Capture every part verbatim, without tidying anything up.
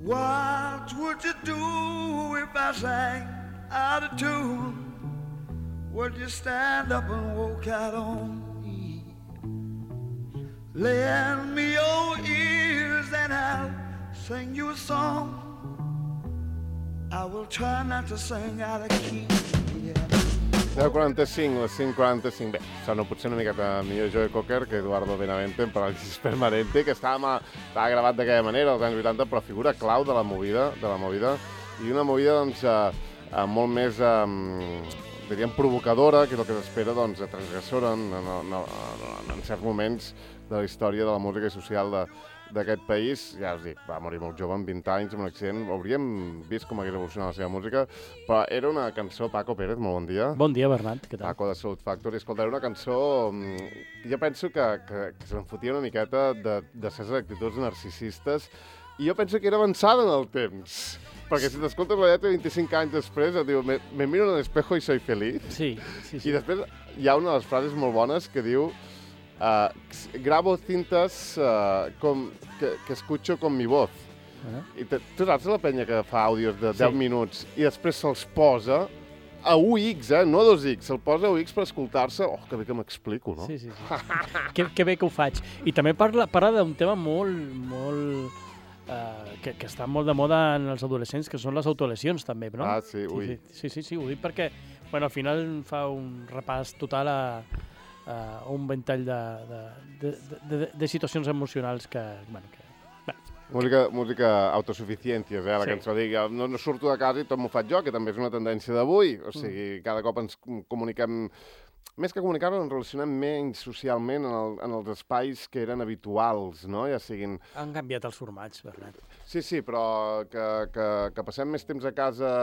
What would you do if I sang out of tune? Would you stand up and walk out on me? Lend me your ears and I'll sing you a song. I will try not to sing out of key. deu quaranta-cinc, les cinc quaranta-cinc. Bé, sona potser una miqueta millor Joe Cocker que Eduardo Benavente en Parálisis Permanente, que estava, estava gravat d'aquella manera als anys vuitanta, però figura clau de la movida, de la movida, i una movida doncs, eh, eh, molt més, eh, diríem, provocadora, que és el que s'espera, doncs, transgressora en, en, en, en, en certs moments de la història de la música i social de, d'aquest país. Ja us dic, va morir molt jove, amb vint anys, amb un accident. Hauríem vist com hagués evolucionat la seva música, però era una cançó, Paco Pérez, molt bon dia. Bon dia, Bernat, què tal? Paco de Soul Factory. Escolta, era una cançó... Jo penso que, que, que se'n fotia una miqueta de, de ses actituds narcisistes, i jo penso que era avançada en el temps. Perquè si t'escoltes la lletra vint-i-cinc anys després, et diu, me, me miro en el espejo y soy feliz. Sí, sí, sí. I després hi ha una de les frases molt bones que diu uh, grabo cintas uh, com, que, que escucho con mi voz. Uh-huh. I te, tu saps la penya que fa àudios de deu sí. minuts i després se'ls posa a u ics, eh? No a dos ics, se'l posa a u ics per escoltar-se. Oh, que bé que m'explico, no? Sí, sí, sí. que, que bé que ho faig. I també parla, parla d'un tema molt, molt... Uh, que, que està molt de moda en els adolescents, que són les autolesions també, no? Ah, sí, ui. Sí, sí, sí, sí, ho dic perquè bueno, al final fa un repàs total a, a un ventall de, de, de, de, de situacions emocionals que... Bueno, que bueno, música, música autosuficiències, eh, la sí. cançó. Dic, no, no surto de casa i tot m'ho faig jo, que també és una tendència d'avui. O sigui, mm. cada cop ens comuniquem... Més que comunicar-ho, ens relacionem menys socialment en, el, en els espais que eren habituals, no? Ja siguin... Han canviat els formats, Bernat. Sí, sí, però que, que, que passem més temps a casa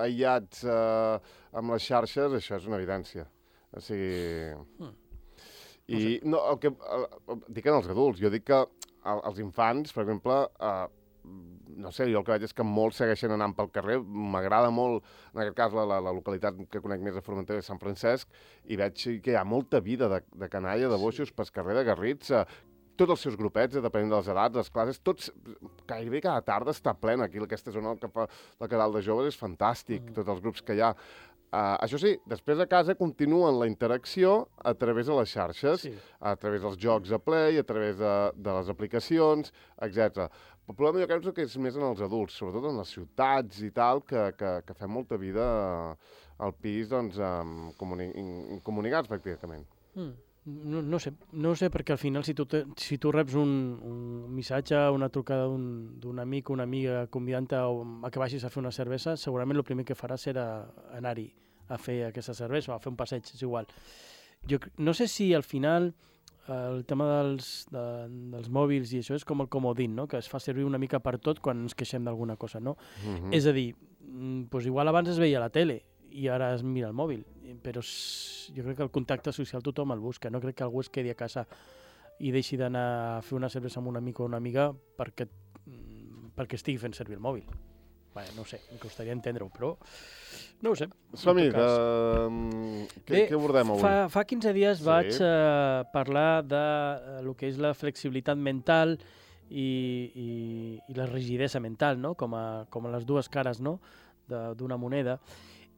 aïllats eh, amb les xarxes, això és una evidència. O sigui... Mm. I no, sé. no el que... Eh, dic en els adults, jo dic que els infants, per exemple... Eh, no sé, jo el que veig és que molts segueixen anant pel carrer. M'agrada molt, en aquest cas, la, la, la localitat que conec més a Formentera de Sant Francesc, i veig que hi ha molta vida de, de canalla, de boixos, sí. pel carrer de Garrits, eh, tots els seus grupets, depenent de les edats, les classes, tots, gairebé cada tarda està plena aquí, aquesta zona que fa la Cadal de Joves és fantàstic, mm. tots els grups que hi ha. Uh, això sí, després a casa continuen la interacció a través de les xarxes, sí. a través dels jocs a Play, a través de, de les aplicacions, etcètera. El problema jo crec que és més en els adults, sobretot en les ciutats i tal, que, que, que fem molta vida al pis, doncs, um, comuni comunicats pràcticament. Mm. No, no sé, no sé, perquè al final si tu, te, si tu reps un, un missatge, una trucada d'un amic o una amiga convidant-te a que vagis a fer una cervesa, segurament el primer que faràs serà anar-hi a fer aquesta cervesa o a fer un passeig, és igual. Jo no sé si al final el tema dels, de, dels mòbils i això és com el comodín, no? Que es fa servir una mica per tot quan ens queixem d'alguna cosa, no? Mm-hmm. És a dir, doncs igual abans es veia la tele i ara es mira el mòbil, però jo crec que el contacte social tothom el busca, no crec que algú es quedi a casa i deixi d'anar a fer una cervesa amb un amic o una amiga perquè, perquè estigui fent servir el mòbil. Bé, no ho sé, em costaria entendre-ho, però no ho sé. Som-hi, uh, què, què abordem avui? Fa, fa quinze dies sí. vaig uh, parlar de uh, lo que és la flexibilitat mental i, i, i la rigidesa mental, no? com, a, com a les dues cares, no? d'una moneda.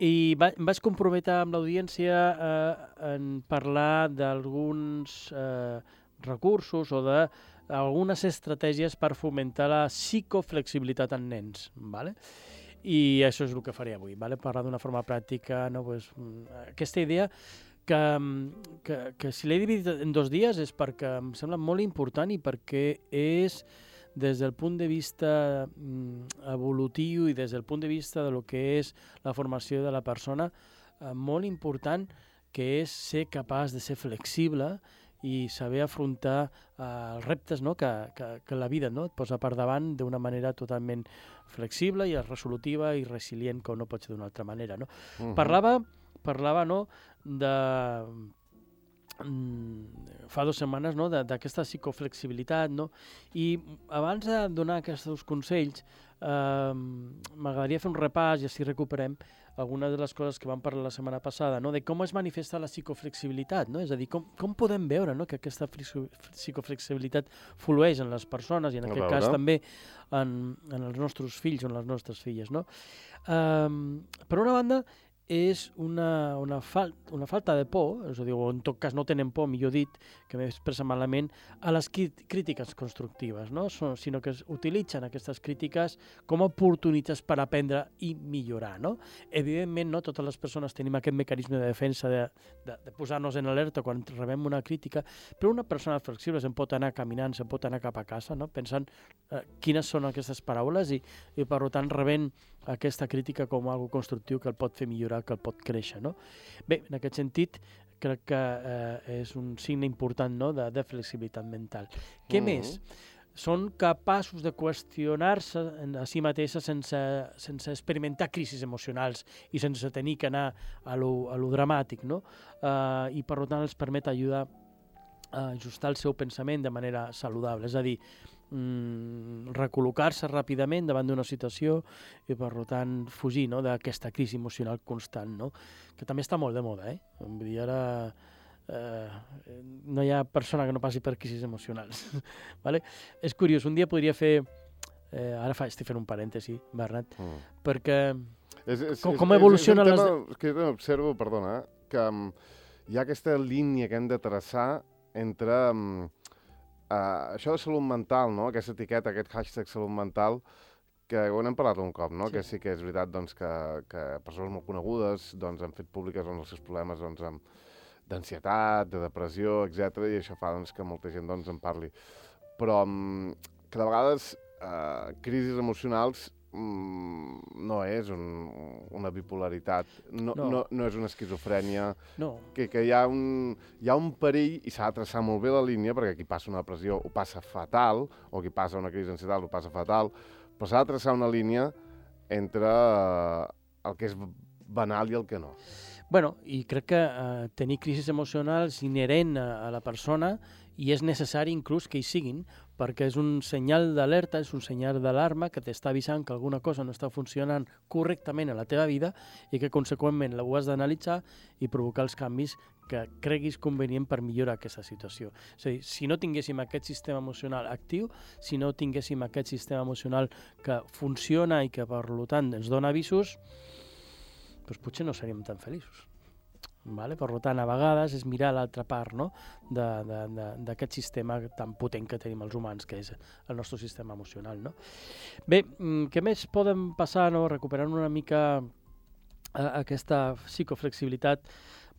I va, em vaig comprometre amb l'audiència eh, en parlar d'alguns eh, recursos o d'algunes estratègies per fomentar la psicoflexibilitat en nens. ¿Vale? I això és el que faré avui, ¿vale? Parlar d'una forma pràctica, no? Pues, aquesta idea que, que, que si l'he dividit en dos dies és perquè em sembla molt important i perquè és des del punt de vista mm, evolutiu i des del punt de vista de lo que és la formació de la persona, eh, molt important, que és ser capaç de ser flexible i saber afrontar eh, els reptes, no? que, que, que la vida, no? et posa per davant d'una manera totalment flexible i resolutiva i resilient, com no pot ser d'una altra manera. No? Uh-huh. Parlava, parlava no? de fa dues setmanes, no? d'aquesta psicoflexibilitat, no? I abans de donar aquests consells, eh, m'agradaria fer un repàs i així recuperem algunes de les coses que vam parlar la setmana passada, no? De com es manifesta la psicoflexibilitat, no? És a dir, com, com podem veure, no? que aquesta psicoflexibilitat flueix en les persones i en aquest cas també en, en els nostres fills o en les nostres filles. No? Um, per una banda, és una, una, fal una falta de por, és a dir, o en tot cas no tenen por, millor dit, que m'he expressat malament, a les crítiques constructives, no? So, sinó que utilitzen aquestes crítiques com a oportunitats per aprendre i millorar. No? Evidentment, no totes les persones tenim aquest mecanisme de defensa de, de, de posar-nos en alerta quan rebem una crítica, però una persona flexible se'n pot anar caminant, se'n pot anar cap a casa, no? Pensant eh, quines són aquestes paraules i, i per tant rebent aquesta crítica com algo constructiu que el pot fer millorar, que el pot créixer. No? Bé, en aquest sentit, crec que eh, és un signe important, no? de, de flexibilitat mental. Què mm-hmm. més? Són capaços de qüestionar-se a si mateixa sense, sense experimentar crisis emocionals i sense tenir que anar a lo, a lo dramàtic, no? Uh, i per tant els permet ajudar a ajustar el seu pensament de manera saludable. És a dir, mm, recol·locar-se ràpidament davant d'una situació i, per tant, fugir, no? d'aquesta crisi emocional constant, no? que també està molt de moda. Eh? Vull dir, ara eh, no hi ha persona que no passi per crisis emocionals. Vale? És curiós, un dia podria fer... Eh, ara fa, estic fent un parèntesi, Bernat, mm. perquè és, és, com, com evoluciona... És, és un tema les... que jo observo, perdona, que um, hi ha aquesta línia que hem de traçar entre um, uh, això de salut mental, no? Aquesta etiqueta, aquest hashtag salut mental, que ho n'hem parlat un cop, no? Sí. Que sí que és veritat doncs, que, que persones molt conegudes doncs, han fet públiques doncs, els seus problemes doncs, d'ansietat, de depressió, etcètera, i això fa doncs, que molta gent doncs, en parli. Però um, que de vegades uh, crisis emocionals mm, no és un, una bipolaritat, no, no. No, no és una esquizofrènia, no. que, que hi, ha un, hi ha un perill i s'ha de traçar molt bé la línia, perquè qui passa una depressió ho passa fatal, o qui passa una crisi d'ansietat ho passa fatal, però s'ha de traçar una línia entre uh, el que és banal i el que no. Bueno, i crec que uh, tenir crisis emocionals inherent a, a la persona i és necessari inclús que hi siguin, perquè és un senyal d'alerta, és un senyal d'alarma que t'està avisant que alguna cosa no està funcionant correctament a la teva vida i que conseqüentment ho has d'analitzar i provocar els canvis que creguis convenient per millorar aquesta situació. És a dir, si no tinguéssim aquest sistema emocional actiu, si no tinguéssim aquest sistema emocional que funciona i que per tant ens dona avisos, doncs potser no seríem tan feliços. Vale? Per tant, a vegades és mirar l'altra part, no? d'aquest sistema tan potent que tenim els humans, que és el nostre sistema emocional. No? Bé, què més podem passar, no? recuperant una mica eh, aquesta psicoflexibilitat?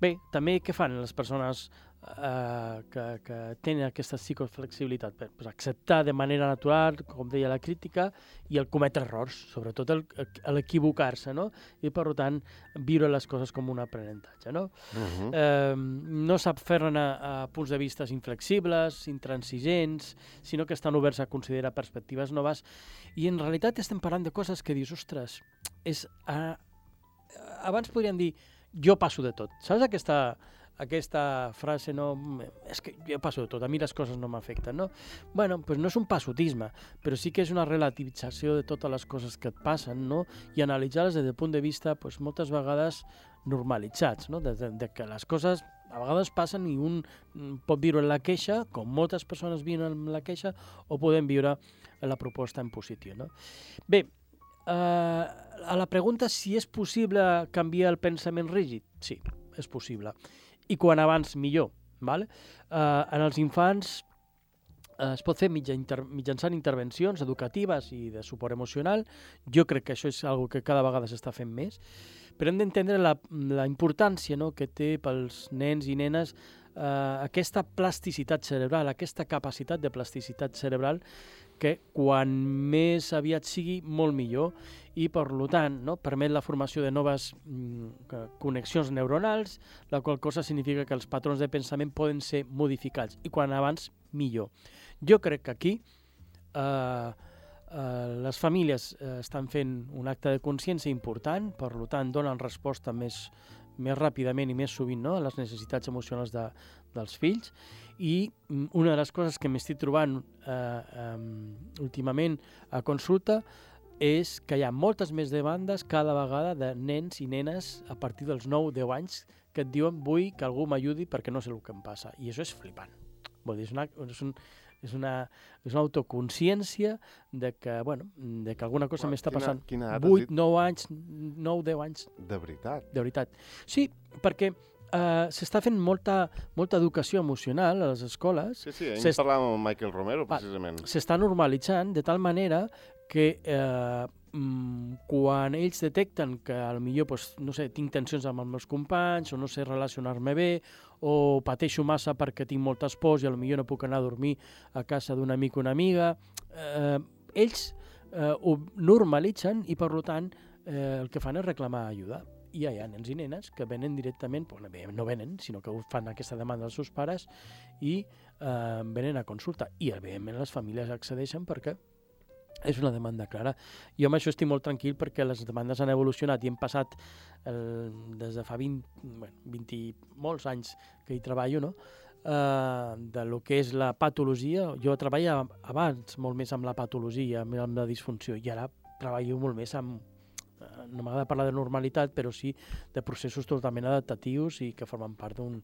Bé, també què fan les persones eh, que, que tenen aquesta psicoflexibilitat? Bé, pues acceptar de manera natural, com deia la crítica, i el cometre errors, sobretot l'equivocar-se, no? I per tant viure les coses com un aprenentatge. No, uh-huh. eh, no sap fer-ne a, a punts de vista inflexibles, intransigents, sinó que estan oberts a considerar perspectives noves, i en realitat estem parlant de coses que dius, ostres, és, a, abans podríem dir jo passo de tot. Saps aquesta, aquesta frase, no, és que jo passo de tot, a mi les coses no m'afecten, no? Bueno, doncs no és un passotisme, però sí que és una relativització de totes les coses que et passen, no? I analitzar-les des del punt de vista, doncs, moltes vegades normalitzats, no? De, de, de que les coses a vegades passen i un pot viure en la queixa, com moltes persones viuen en la queixa, o podem viure en la proposta en positiu, no? Bé, Uh, a la pregunta si és possible canviar el pensament rígid, sí, és possible. I quan abans millor. Vale? Uh, en els infants uh, es pot fer mitja inter mitjançant intervencions educatives i de suport emocional. Jo crec que això és una que cada vegada s'està fent més, però hem d'entendre la, la importància, no?, que té pels nens i nenes uh, aquesta plasticitat cerebral, aquesta capacitat de plasticitat cerebral que quan més aviat sigui, molt millor, i per tant no, permet la formació de noves mm, connexions neuronals, la qual cosa significa que els patrons de pensament poden ser modificats, i quan abans, millor. Jo crec que aquí eh, eh, les famílies eh, estan fent un acte de consciència important, per tant donen resposta més, més ràpidament i més sovint, no?, a les necessitats emocionals de, dels fills. I una de les coses que m'estic trobant eh, um, últimament a consulta és que hi ha moltes més demandes cada vegada de nens i nenes a partir dels nou deu anys que et diuen vull que algú m'ajudi perquè no sé el que em passa. I això és flipant. Vol dir, és una, és un, és una, és una autoconsciència de que, bueno, de que alguna cosa m'està passant. Quina edat vuit, nou anys, nou, deu anys. De veritat? De veritat. Sí, perquè uh, s'està fent molta, molta educació emocional a les escoles. Sí, sí, ahir parlàvem amb Michael Romero, precisament. S'està normalitzant de tal manera que eh, quan ells detecten que potser, pues, no sé, tinc tensions amb els meus companys, o no sé relacionar-me bé, o pateixo massa perquè tinc moltes pors i potser no puc anar a dormir a casa d'un amic o una amiga, eh, ells eh, ho normalitzen i, per tant, eh, el que fan és reclamar ajuda. I hi ha nens i nenes que venen directament, pues, no venen, sinó que fan aquesta demanda als seus pares i eh, venen a consulta. I, evidentment, les famílies accedeixen perquè és una demanda clara. Jo amb això estic molt tranquil perquè les demandes han evolucionat i hem passat el, des de fa vint, bueno, vint i molts anys que hi treballo, no? Uh, de lo que és la patologia. Jo treballava abans molt més amb la patologia, amb la disfunció, i ara treballo molt més amb, uh, no m'agrada parlar de normalitat, però sí de processos totalment adaptatius i que formen part d'un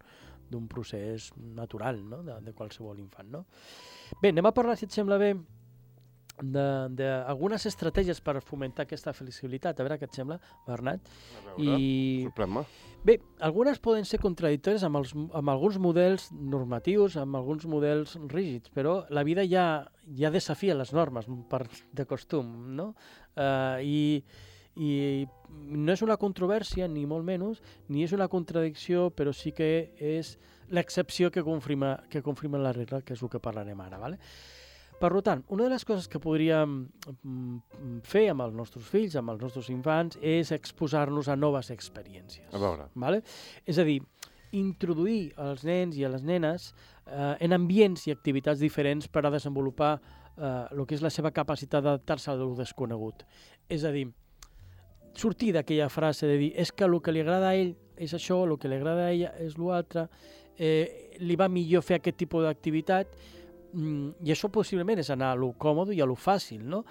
d'un procés natural, no?, de, de qualsevol infant, no? Bé, anem a parlar, si et sembla bé, d'algunes estratègies per fomentar aquesta flexibilitat. A veure què et sembla, Bernat. A veure, I... sorprèn-me. Bé, algunes poden ser contradictòries amb, els, amb alguns models normatius, amb alguns models rígids, però la vida ja, ja desafia les normes per, de costum, no? Uh, i, I no és una controvèrsia, ni molt menys, ni és una contradicció, però sí que és l'excepció que confirma, que confirma la regla, que és el que parlarem ara, ¿vale? Per tant, una de les coses que podríem fer amb els nostres fills, amb els nostres infants, és exposar-nos a noves experiències. A veure. Vale? És a dir, introduir els nens i a les nenes eh, en ambients i activitats diferents per a desenvolupar eh, el que és la seva capacitat d'adaptar-se a lo desconegut. És a dir, sortir d'aquella frase de dir és que el que li agrada a ell és això, el que li agrada a ella és l'altre, eh, li va millor fer aquest tipus d'activitat, i això possiblement és anar a lo còmode i a lo fàcil, no?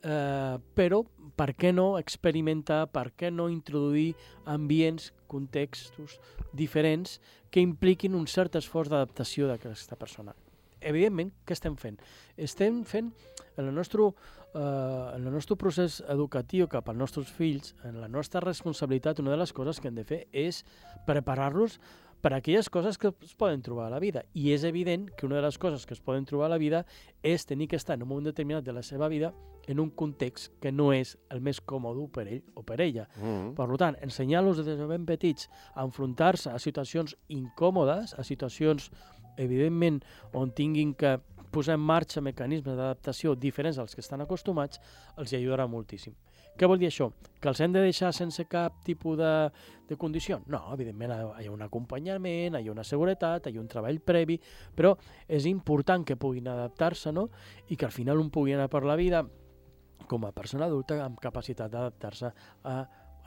Eh, però per què no experimentar, per què no introduir ambients, contextos diferents que impliquin un cert esforç d'adaptació d'aquesta persona? Evidentment, què estem fent? Estem fent, en el nostre, eh, en el nostre procés educatiu cap als nostres fills, en la nostra responsabilitat, una de les coses que hem de fer és preparar-los per a aquelles coses que es poden trobar a la vida. I és evident que una de les coses que es poden trobar a la vida és tenir que estar en un moment determinat de la seva vida en un context que no és el més còmode per ell o per ella. Mm-hmm. Per tant, ensenyar-los des de ben petits a enfrontar-se a situacions incòmodes, a situacions, evidentment, on tinguin que posar en marxa mecanismes d'adaptació diferents als que estan acostumats, els hi ajudarà moltíssim. Què vol dir això? Que els hem de deixar sense cap tipus de, de condició? No, evidentment hi ha un acompanyament, hi ha una seguretat, hi ha un treball previ, però és important que puguin adaptar-se, no? I que al final un pugui anar per la vida com a persona adulta amb capacitat d'adaptar-se a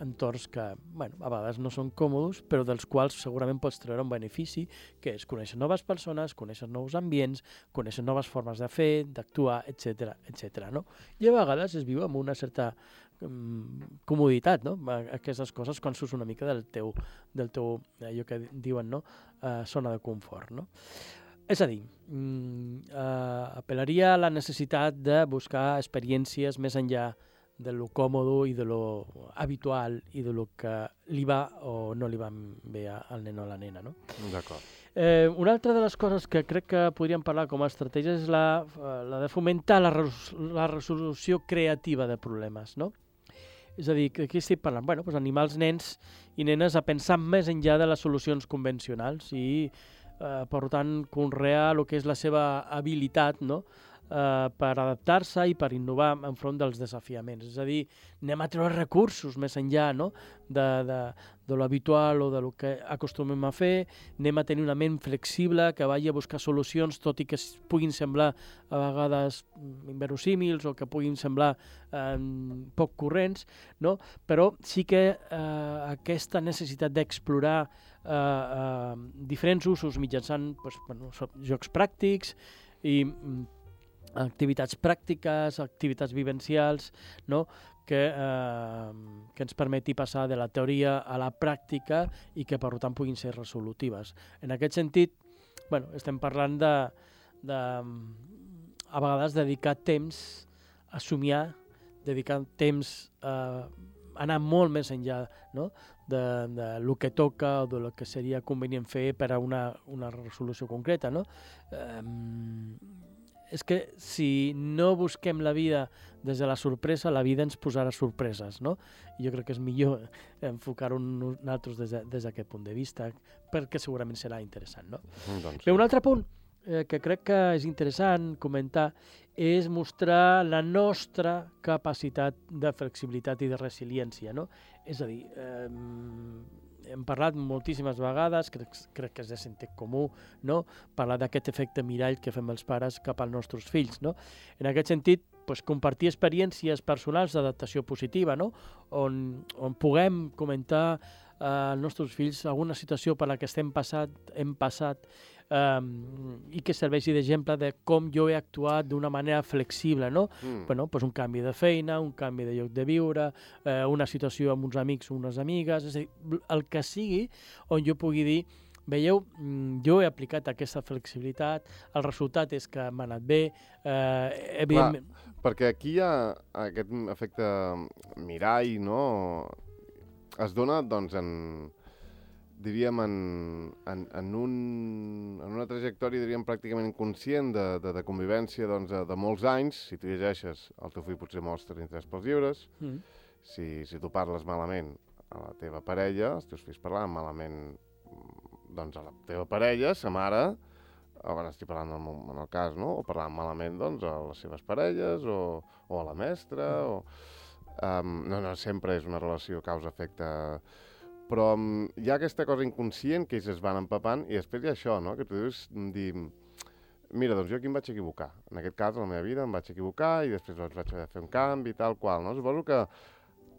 entorns que, bueno, a vegades no són còmodes, però dels quals segurament pots treure un benefici, que és conèixer noves persones, conèixer nous ambients, conèixer noves formes de fer, d'actuar, etcètera, etcètera, no? I a vegades es viu amb una certa um, comoditat, no? Aquestes coses quan surts una mica del teu, del teu allò que diuen, no? Uh, zona de confort, no? És a dir, mm, uh, apel·laria a la necessitat de buscar experiències més enllà de lo còmodo i de lo habitual i de lo que li va o no li va bé al nen o a la nena, no? D'acord. Eh, una altra de les coses que crec que podríem parlar com a estratègia és la, la de fomentar la, res, la resolució creativa de problemes, no? És a dir, que aquí estic parlant, bueno, doncs animar els nens i nenes a pensar més enllà de les solucions convencionals i, eh, per tant, conrear el que és la seva habilitat, no?, eh, per adaptar-se i per innovar enfront dels desafiaments. És a dir, anem a treure recursos més enllà, no?, de, de, de l'habitual o de lo que acostumem a fer, anem a tenir una ment flexible que vagi a buscar solucions, tot i que puguin semblar a vegades inverosímils o que puguin semblar eh, poc corrents, no? Però sí que eh, aquesta necessitat d'explorar eh, eh, diferents usos mitjançant pues, bueno, jocs pràctics i activitats pràctiques, activitats vivencials, no?, que, eh, que ens permeti passar de la teoria a la pràctica i que, per tant, puguin ser resolutives. En aquest sentit, bueno, estem parlant de, de, a vegades, dedicar temps a somiar, dedicar temps a anar molt més enllà, no?, de, de lo que toca o de lo que seria convenient fer per a una, una resolució concreta, no? Eh, és que si no busquem la vida des de la sorpresa, la vida ens posarà sorpreses, no? I jo crec que és millor enfocar-ho nosaltres des, de, des d'aquest punt de vista, perquè segurament serà interessant, no? Mm, doncs, Bé, un altre punt eh, que crec que és interessant comentar és mostrar la nostra capacitat de flexibilitat i de resiliència, no? És a dir, eh, hem parlat moltíssimes vegades, crec, crec que és de sentit comú, no?, parlar d'aquest efecte mirall que fem els pares cap als nostres fills, no? En aquest sentit, pues, compartir experiències personals d'adaptació positiva, no?, on, on puguem comentar eh, als nostres fills alguna situació per la que estem passat, hem passat, Um, i que serveixi d'exemple de com jo he actuat d'una manera flexible, no? Mm. Bueno, pues un canvi de feina, un canvi de lloc de viure, eh, una situació amb uns amics o unes amigues, és a dir, el que sigui on jo pugui dir, veieu, jo he aplicat aquesta flexibilitat, el resultat és que m'ha anat bé, eh, evidentment... Clar, perquè aquí hi ha aquest efecte mirall, no? Es dona, doncs, en... diríem, en, en, en, un, en una trajectòria, diríem, pràcticament inconscient de, de, de convivència doncs, de, de molts anys. Si tu llegeixes, el teu fill potser mostra interès pels llibres. Mm. Si, si tu parles malament a la teva parella, els teus fills parlaven malament doncs, a la teva parella, sa mare, ara estic parlant en el, en el cas, no? O parlaven malament doncs, a les seves parelles o, o a la mestra. Mm. O, um, no, no, sempre és una relació causa-efecte. Però um, hi ha aquesta cosa inconscient que ells es van empapant i després hi ha això, no?, que tu dius, dir, mira, doncs jo aquí em vaig equivocar. En aquest cas, a la meva vida, em vaig equivocar i després vaig haver de fer un canvi i tal qual, no? Suposo que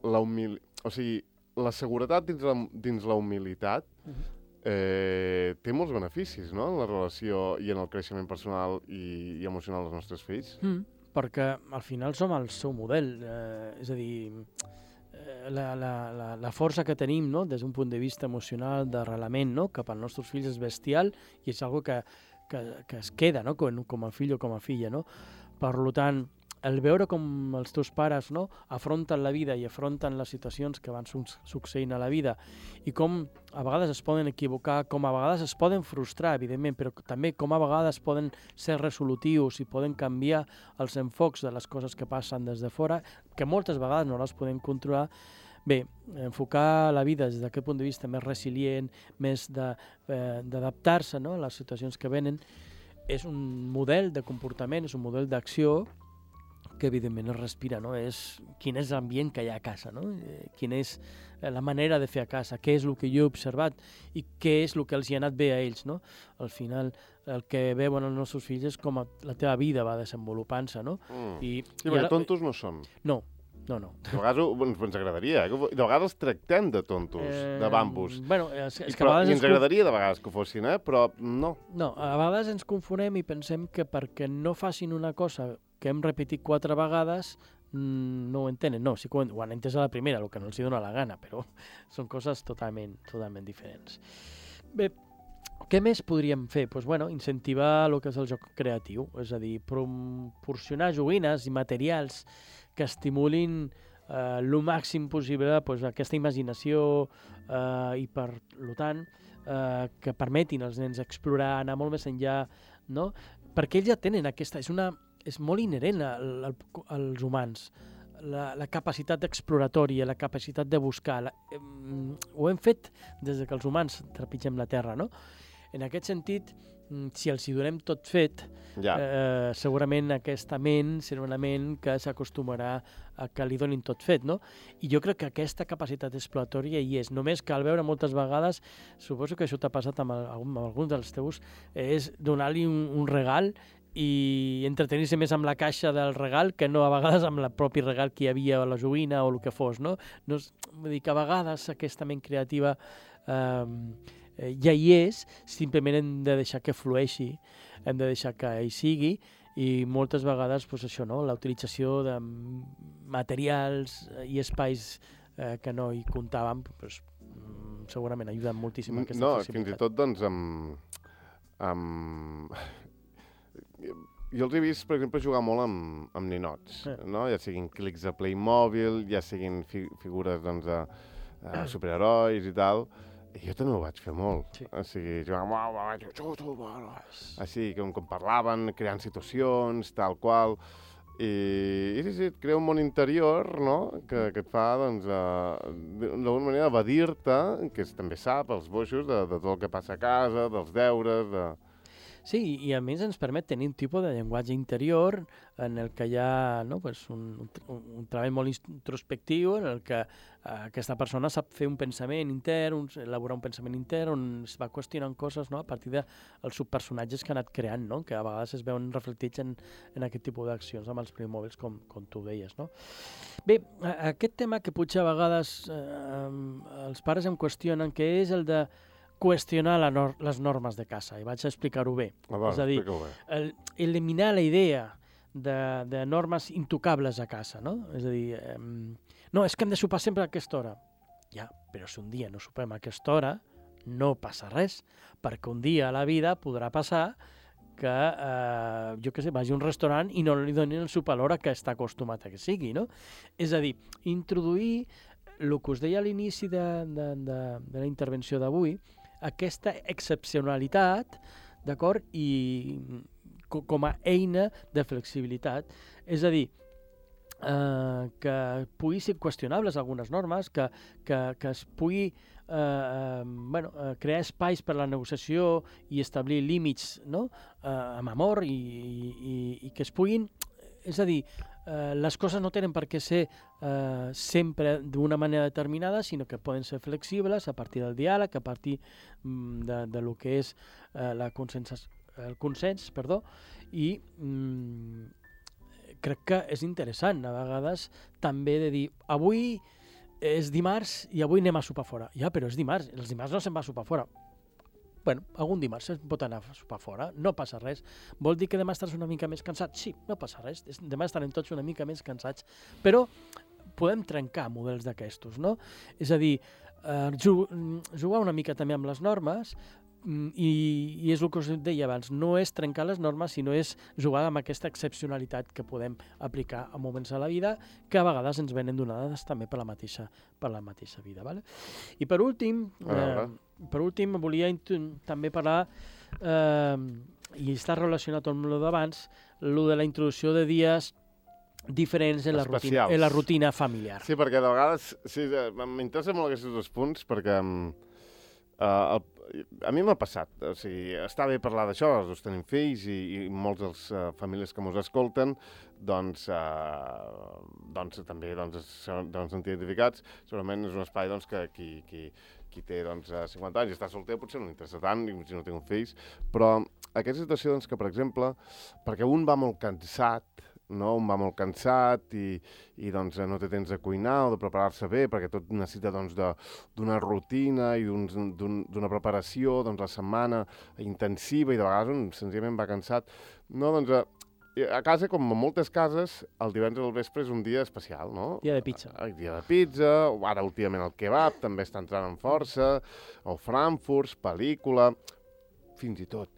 la humil... o sigui, la seguretat dins la, dins la humilitat eh, té molts beneficis, no?, en la relació i en el creixement personal i, i emocional dels nostres fills. Mm, perquè al final som el seu model, eh, és a dir... La, la, la, la força que tenim, no?, des d'un punt de vista emocional, d'arrelament, no?, cap als nostres fills és bestial i és una que, que, que es queda, no?, com, com a fill o com a filla, no? Per tant, el veure com els teus pares, no?, afronten la vida i afronten les situacions que van succeint a la vida i com a vegades es poden equivocar, com a vegades es poden frustrar, evidentment, però també com a vegades poden ser resolutius i poden canviar els enfocs de les coses que passen des de fora, que moltes vegades no les podem controlar. Bé, enfocar la vida des d'aquest punt de vista més resilient, més d'adaptar-se, no?, a les situacions que venen, és un model de comportament, és un model d'acció que evidentment es respira, no? És quin és l'ambient que hi ha a casa, no? Eh, quina és la manera de fer a casa, què és el que jo he observat i què és el que els hi ha anat bé a ells, no? Al final, el que veuen els nostres fills és com la teva vida va desenvolupant-se, no? Mm. I, sí, perquè ara... tontos no som. No, no, no. De vegades ens, ens agradaria, eh? De vegades tractem de tontos, eh, de bambus. Bueno, és, és I, però, I ens conf... agradaria de vegades que ho fossin, eh? Però no. No, a vegades ens confonem i pensem que perquè no facin una cosa que hem repetit quatre vegades, mmm, no ho entenen. No, sí que ho, ho han entès a la primera, el que no els hi dona la gana, però són coses totalment, totalment diferents. Bé, què més podríem fer? Pues, bueno, incentivar el que és el joc creatiu, és a dir, proporcionar joguines i materials que estimulin eh, el màxim possible pues, aquesta imaginació eh, i, per tant, eh, que permetin als nens explorar, anar molt més enllà, no? Perquè ells ja tenen aquesta... És una... és molt inherent al, al, als humans, la, la capacitat exploratòria, la capacitat de buscar. La, eh, ho hem fet des que els humans trepitgem la Terra, no? En aquest sentit, si els hi donem tot fet, Ja. eh, segurament aquesta ment serà una ment que s'acostumarà a que li donin tot fet, no? I jo crec que aquesta capacitat exploratòria hi és. Només cal veure moltes vegades, suposo que això t'ha passat amb, el, amb alguns dels teus, és donar-li un, un regal i entretenir-se més amb la caixa del regal que no a vegades amb el propi regal que hi havia a la joguina o el que fos, no? no és, vull dir que a vegades aquesta ment creativa eh, ja hi és, simplement hem de deixar que flueixi, hem de deixar que hi sigui i moltes vegades pues, això, no? La utilització de materials i espais eh, que no hi comptàvem pues, segurament ajuden moltíssim a aquesta no, flexibilitat. fins i tot doncs amb... amb... Jo els he vist, per exemple, jugar molt amb, amb ninots, Eh. no? Ja siguin clics de Playmobil, ja siguin fi figures doncs, de, de superherois i tal. I jo també ho vaig fer molt. Sí. O sigui, jugàvem, uau, uau, uau, uau, uau, així, com, com parlaven, creant situacions, tal qual. I, i sí, sí, et crea un món interior, no?, que, que et fa, doncs, uh, d'alguna manera evadir-te, que és, també sap, els boixos, de, de tot el que passa a casa, dels deures, de... Sí, i a més ens permet tenir un tipus de llenguatge interior en el que hi ha no, pues un, un, un treball molt introspectiu en el que uh, aquesta persona sap fer un pensament intern, un, elaborar un pensament intern on es va qüestionant coses no, a partir dels subpersonatges que ha anat creant, no, que a vegades es veuen reflectits en, en aquest tipus d'accions amb els Playmobils, com, com tu deies. No? Bé, a, aquest tema que potser a vegades eh, els pares em qüestionen, que és el de qüestionar la nor les normes de casa, i vaig a explicar-ho bé. Ah, va, és a dir, el, eliminar la idea de, de normes intocables a casa, no? És a dir, eh, no, és que hem de sopar sempre a aquesta hora. Ja, però si un dia no sopem a aquesta hora, no passa res, perquè un dia a la vida podrà passar que, eh, jo què sé, vagi a un restaurant i no li donin el sopar a l'hora que està acostumat a que sigui, no? És a dir, introduir el que us deia a l'inici de, de, de, de la intervenció d'avui, aquesta excepcionalitat, d'acord, i co com a eina de flexibilitat. És a dir, eh, que pugui ser qüestionables algunes normes, que, que, que es pugui eh, eh, bueno, eh, crear espais per a la negociació i establir límits no? eh, amb amor i, i, i que es puguin, és a dir, eh, les coses no tenen per què ser eh, sempre d'una manera determinada, sinó que poden ser flexibles a partir del diàleg, a partir mm, de, de lo que és eh, la consens, el consens, perdó, i mm, crec que és interessant a vegades també de dir, avui és dimarts i avui anem a sopar fora. Ja, però és dimarts, els dimarts no se'n va a sopar fora. Bueno, algun dimarts es pot anar a sopar fora, no passa res. Vol dir que demà estàs una mica més cansat? Sí, no passa res, demà estarem tots una mica més cansats, però podem trencar models d'aquestos, no? És a dir, eh, jugar una mica també amb les normes, i, i és el que us deia abans, no és trencar les normes, sinó és jugar amb aquesta excepcionalitat que podem aplicar a moments de la vida que a vegades ens venen donades també per la mateixa, per la mateixa vida. Vale? I per últim, eh, per últim volia també parlar, eh, i està relacionat amb el d'abans, el de la introducció de dies diferents en la, rutina, en la rutina familiar. Sí, perquè de vegades sí, m'interessen molt aquests dos punts, perquè uh, el, a mi m'ha passat, o sigui, està bé parlar d'això, els dos tenim fills i, i molts dels uh, famílies que mos escolten doncs, uh, doncs també doncs, són doncs, identificats, segurament és un espai doncs, que qui, qui, qui té doncs, cinquanta anys i està solter potser no li interessa tant, si no tinc fills, però aquesta situació doncs, que, per exemple, perquè un va molt cansat, no? Un va molt cansat i, i doncs, no té temps de cuinar o de preparar-se bé perquè tot necessita doncs, d'una rutina i d'una preparació doncs, la setmana intensiva i de vegades un senzillament va cansat. No, doncs, a, a casa, com a moltes cases, el divendres al vespre és un dia especial, no? Dia de pizza. El dia de pizza, ara últimament el kebab també està entrant en força, o frankfurts, pel·lícula, fins i tot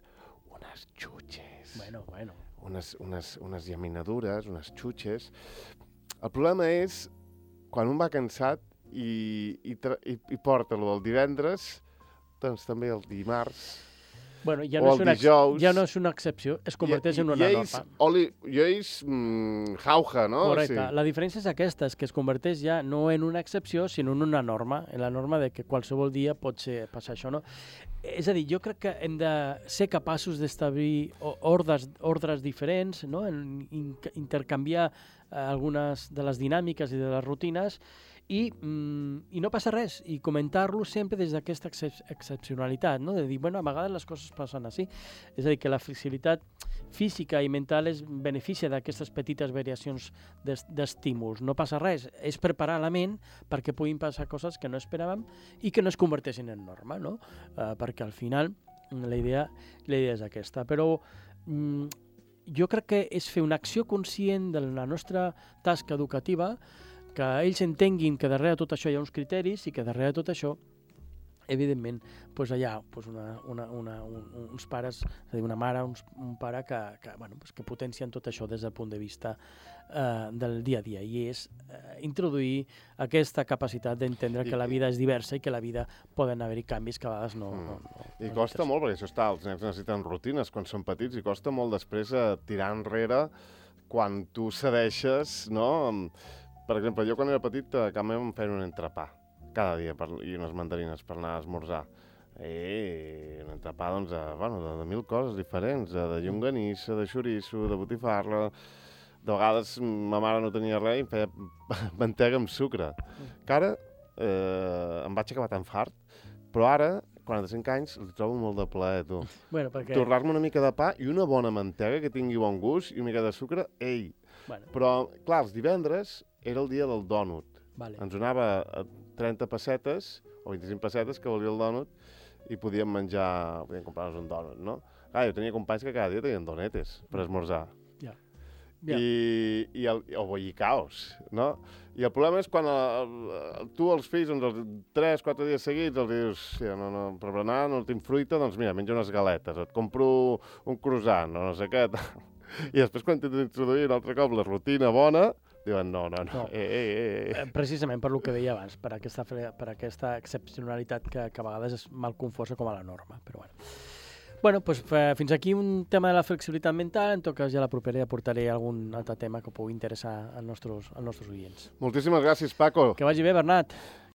unes xutxes. Bueno, bueno. Unes, unes, unes llaminadures, unes xutxes. El problema és quan un va cansat i, i, i, i porta lo del divendres, doncs també el dimarts, Bueno, ja o no, el és una, dijous... ja no és una excepció, es converteix en una lleis, norma. Oli, lleis mm, jauja, no? Correcte. Sí. La diferència és aquesta, és que es converteix ja no en una excepció, sinó en una norma, en la norma de que qualsevol dia pot ser, passar això, no? És a dir, jo crec que hem de ser capaços d'establir ordres, ordres diferents, no? En, in, intercanviar eh, algunes de les dinàmiques i de les rutines, i, mm, i no passa res, i comentar-lo sempre des d'aquesta excep excepcionalitat, no? De dir, bueno, a vegades les coses passen així. És a dir, que la flexibilitat física i mental es beneficia d'aquestes petites variacions d'estímuls. No passa res, és preparar la ment perquè puguin passar coses que no esperàvem i que no es converteixin en norma, no? Uh, perquè al final la idea, la idea és aquesta. Però mm, jo crec que és fer una acció conscient de la nostra tasca educativa, que ells entenguin que darrere de tot això hi ha uns criteris i que darrere de tot això, evidentment, doncs hi ha doncs una, una, una, un, uns pares, és a dir, una mare, uns, un pare que, que, bueno, doncs que potencien tot això des del punt de vista eh, del dia a dia, i és eh, introduir aquesta capacitat d'entendre que la vida és diversa i que la vida poden haver-hi canvis que a vegades no... Mm. no, no I no costa molt, perquè això està, els nens necessiten rutines quan són petits, i costa molt després eh, tirar enrere quan tu cedeixes, no? Per exemple, jo quan era petit a casa meva em feien un entrepà cada dia per, i unes mandarines per anar a esmorzar. I un entrepà, doncs, de, bueno, de, de mil coses diferents, de, de llonganissa, de xoriço, de botifarra. De vegades ma mare no tenia res i em feia mantega amb sucre. Que ara eh, em vaig acabar tan fart, però ara, quaranta-cinc anys, li trobo molt de plaer, tu. Bueno, perquè... Torrar-me una mica de pa i una bona mantega que tingui bon gust i una mica de sucre, ei! Bueno. Però, clar, els divendres era el dia del dònut. Vale. Ens donava trenta pessetes o vint-i-cinc pessetes que volia el dònut i podíem menjar, podíem comprar-nos un dònut, no? Clar, jo tenia companys que cada dia tenien donetes per esmorzar. Ja. Ja. I, i el, o bollicaos, no? I el problema és quan el, el, tu els fills, doncs, els tres, quatre dies seguits, els dius, sí, no, no, per berenar no tinc fruita, doncs mira, menja unes galetes, et compro un croissant, o no sé què. I després quan t'he d'introduir un altre cop la rutina bona, diuen no, no, no, no. Eh, eh, eh. Precisament per lo que deia abans, per aquesta, per aquesta excepcionalitat que, que a vegades és mal confosa com a la norma, però bueno. Bueno, doncs fins aquí un tema de la flexibilitat mental. En tot cas, ja la propera ja portaré algun altre tema que pugui interessar als nostres, als nostres oients. Moltíssimes gràcies, Paco. Que vagi bé, Bernat.